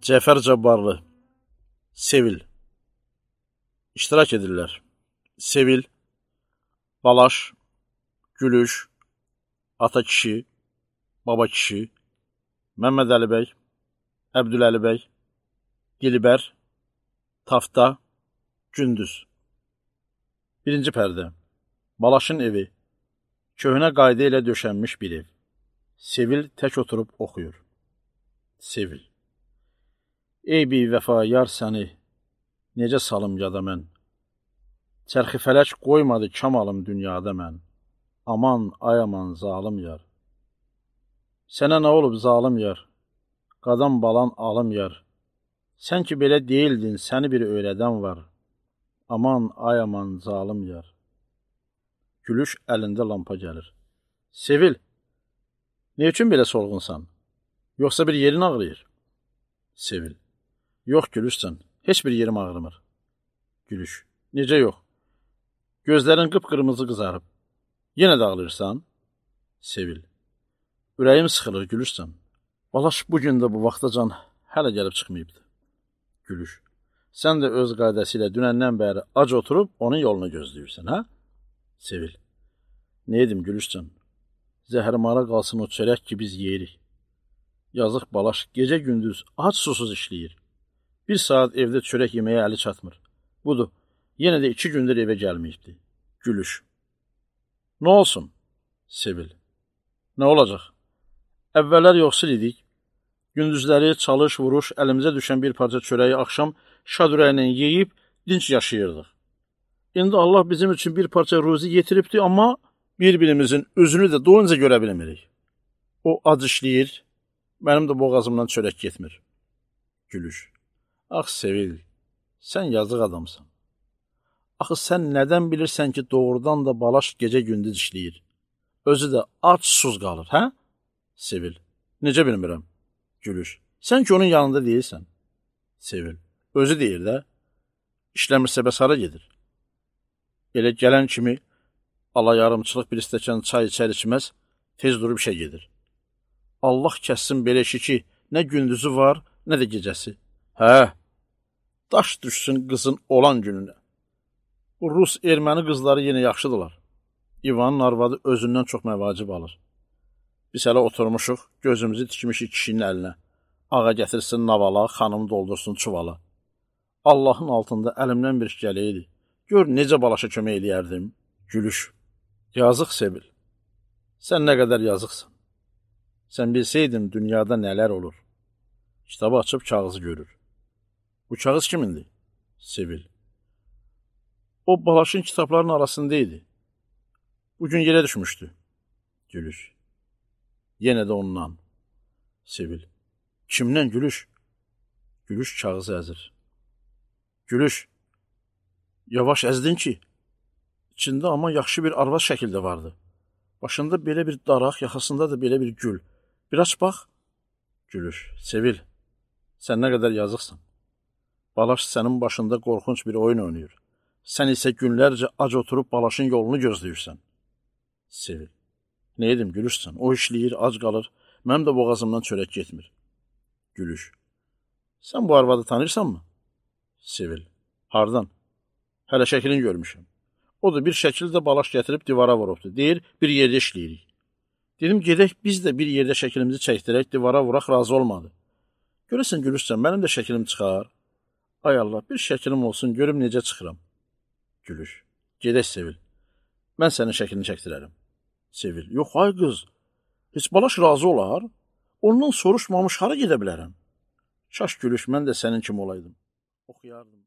Cəfər Cabbarlı, Sevil. İştirak edirlər. Sevil, Balaş, Gülüş, Ata kişi, Baba kişi, Məmməd Əli bəy, Əbdüləli bəy, Dilbər, Tafta, Gündüz. Birinci pərdə. Balaşın evi. Köhnə qayda ilə döşənmiş bir ev. Sevil tək oturub oxuyur. Sevil. Ey bi-vəfa yar səni, necə salım yada mən? Çərxi fələk qoymadı kamalım dünyada mən. Aman, ay aman, zalım yar. Sənə nə olub zalım yar? Qadan balan alım yar. Sən ki belə deyildin, səni bir öyrədən var. Aman, ay aman, zalım yar. Gülüş əlində lampa gəlir. Sevil, ne üçün belə solğunsan? Yoxsa bir yerin ağrıyır? Sevil, yox Gülüşsən, heç bir yerim ağrımır. Gülüş, necə yox? Gözlərin qıpqırmızı qızarıb. Yenə də ağlayırsan? Sevil, ürəyim sıxılır Gülüşsən. Balaş bugün də bu vaxtacan hələ gəlib çıxmayıbdı. Gülüş, sən də öz qaydası ilə dünəndən bəri ac oturub onun yolunu gözləyirsən, hə? Sevil, ne edim Gülüşsən? Zəhərmara qalsın o çörək ki biz yeyirik. Yazıq Balaş gecə gündüz ac susuz işləyir. Bir saat evdə çörək yeməyə əli çatmır. Budur, yenə də 2 gündür evə gəlməyibdi. Gülüş, nə olsun? Sevil, nə olacaq? Əvvəllər yoxsul idik. Gündüzləri çalış, vuruş, əlimizə düşən bir parça çörəyi axşam şad ürəklə yeyib dinç yaşayırdıq. İndi Allah bizim üçün bir parça ruzi yetiribdi, amma bir-birimizin üzünü də doyunca görə bilmirik. O ac işləyir, mənim də boğazımdan çörək getmir. Gülüş, ax Sevil, sən yazıq adamsan. Axı sən nədən bilirsən ki, doğrudan da Balaş gecə-gündüz işləyir? Özü də ac susuz qalır, hə? Sevil, necə bilmirəm? Gülüş, sən ki onun yanında deyilsən. Sevil, özü deyir də, işləmirsə bəs hara gedir? Elə gələn kimi ala yarımçılıq bir stəkan çay içər içməz, tez durub işə gedir. Allah kəssin belə işi ki, nə gündüzü var, nə də gecəsi. Hə, daş düşsün qızın olan gününə. Bu Rus erməni qızları yenə yaxşıdırlar. İvanın arvadı özündən çox məvacib alır. Biz hələ oturmuşuq, gözümüzü tikmişik kişinin əlinə. Ağa gətirsin navala, xanım doldursun çuvala. Allahın altında əlimdən bir iş gələydi. Gör, necə Balaşa kömək eləyərdim. Gülüş, yazıq Sevil, sən nə qədər yazıqsan. Sən bilsəydin dünyada nələr olur. Kitabı açıb kağızı görür. Bu kağız kimindir? Sevil. O Balaşın kitablarının arasındaydı. Bugün yerə düşmüşdü. Gülüş. Yenə də ondan. Sevil. Kimdən Gülüş? Gülüş kağızı əzir. Gülüş. Yavaş əzdin ki. İçində amma yaxşı bir arvad şəkildə vardı. Başında belə bir daraq, yaxasında da belə bir gül. Bir aç bax. Gülüş. Sevil. Sən nə qədər yazıqsan. Balaş sənin başında qorxunc bir oyun oynayır. Sən isə günlərcə ac oturub Balaşın yolunu gözləyirsən. Sevil. Ne edim Gülüşsən? O işləyir, ac qalır. Mənim də boğazımdan çörək getmir. Gülüş. Sən bu arvadı tanırsanmı? Sevil. Hardan? Hələ şəklini görmüşəm. O da bir şəkildə Balaş gətirib divara vurubdu. Deyir, bir yerdə işləyirik. Dedim, gedək biz də bir yerdə şəklimizi çəkdirək, divara vuraq, razı olmadı. Görəsən Gülüşsən, mənim də şəklim çıxar. Ay Allah, bir şəklim olsun, görüm necə çıxıram. Gülüş. Gedək Sevil. Mən sənin şəklini çəkdirərəm. Sevil. Yox, ay qız. Heç Balaş razı olar? Ondan soruşmamış hara gedə bilərəm? Şaş Gülüş, mən də sənin kimi olaydım. Oxuyardım.